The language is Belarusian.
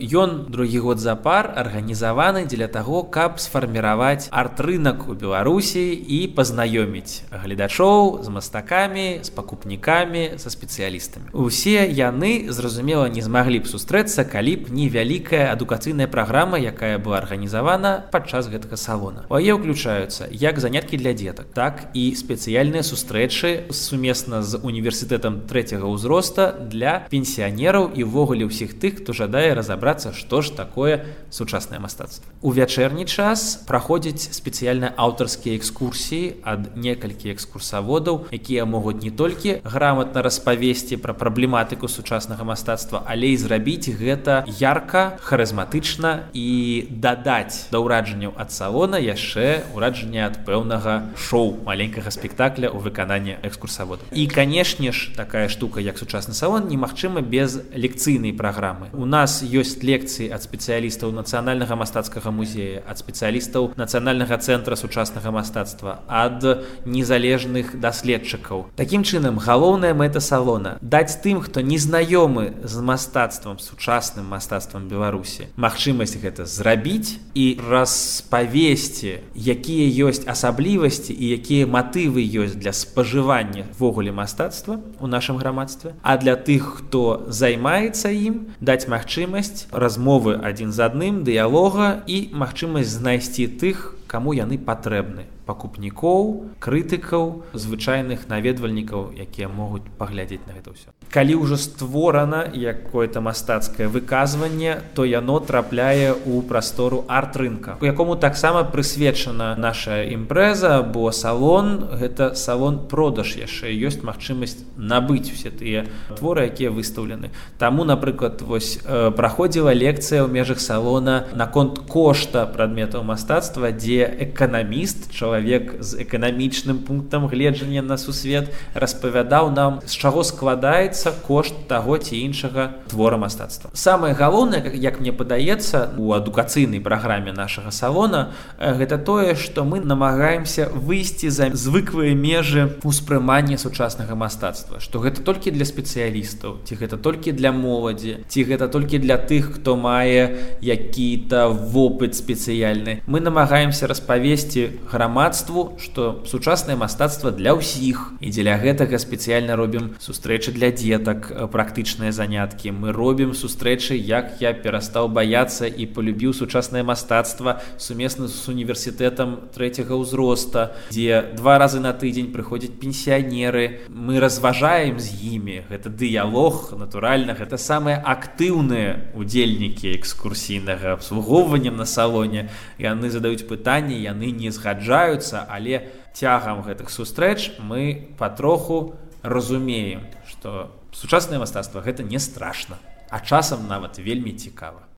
ён другі год запар арганізаваны дзеля таго, каб сфарміраваць арт-рынак у Беларусі і пазнаёміць гледачоў з мастакамі, з пакупнікамі, са спецыялістамі. Усе яны, зразумела, не змаглі б сустрэцца, калі б не вялікая адукацыйная праграма, якая была арганізавана падчас гэтага салона. У яе ўключаюцца як заняткі для дзетак, так і спецыяльныя сустрэчы сумесна з універсітэтам трэцяга ўзроста для пенсіянераў і ўвогуле ўсіх тых, хто жадае разабрацца, што ж такое сучаснае мастацтва. У вячэрні час праходзяць спецыяльныя аўтарскія экскурсіі ад некалькі экскурсаводаў, якія могуць не толькі грамотна распавесці пра праблематыку сучаснага мастацтва, але і зрабіць гэта ярка, харызматычна і дадаць да ўраджанняў ад салона яшчэ ўраджанне ад пэўнага шоу, маленькага спектакля ў выкананні экскурсаводаў. І, канешне ж, такая штука, як сучасны салон, немагчыма без лекцыйнай праграмы. У нас ёсць лекцыі ад спецыялістаў Нацыянальнага мастацкага музея, ад спецыялістаў Нацыянальнага цэнтра сучаснага мастацтва, ад незалежных даследчыкаў. Такім чынам, галоўная мэта салона – даць тым, хто не знаёмы з мастацтвам, сучасным мастацтвам Беларусі, магчымасць гэта зрабіць і распавесці, якія ёсць асаблівасці і якія матывы ёсць для спажывання ввогуле мастацтва ў нашым грамадстве. А для тых, хто займаецца ім, даць магчымасць размовы адзін з адным, дыялога і магчымасць знайсці тых, каму яны патрэбны. Пакупнікоў, крытыкаў, звычайных наведвальнікаў, якія могуць паглядзець на гэта ўсё. Калі ўжо створана якое-то мастацкае выказванне, то яно трапляе ў прастору арт-рынка, у якому таксама прысвечана наша імпрэза, бо салон – гэта салон-продаж яшчэ. Ёсць магчымасць набыць усе тыя творы, якія выстаўлены. Таму, напрыклад, праходзіла лекцыя ў межах салона наконт кошта прадметаў мастацтва, дзе эканаміст, чалавек з эканамічным пунктам гледжання на сусвет, распавядаў нам, з чаго складаецца кошт таго ці іншага твора мастацтва. Самае галоўнае, як мне падаецца, у адукацыйнай праграме нашага салона, гэта тое, што мы намагаемся выйсці за звыклыя межы ўспрымання сучаснага мастацтва, што гэта толькі для спецыялістаў, ці гэта толькі для моладзі, ці гэта толькі для тых, хто мае які-то вопыт спецыяльны. Мы намагаемся распавесці грамадству, што сучаснае мастацтва для ўсіх. І дзеля гэтага спецыяльна робім сустрэчы для дзетак, практычныя заняткі. Мы робім сустрэчы, як я перастаў баяцца і полюбіў сучаснае мастацтва сумесна з універсітэтам трэцяга ўзроста, дзе 2 разы на тыдзень прыходзяць пенсіянеры. Мы разважаем з імі. Гэта дыялог, натуральна, гэта самыя актыўныя удзельнікі экскурсійнага абслугоўвання на салоне. Яны задаюць пытанні, яны не згаджаюцца, але цягам гэтых сустрэч мы патроху разумеем, што сучаснае мастацтва гэта не страшна, а часам нават вельмі цікава.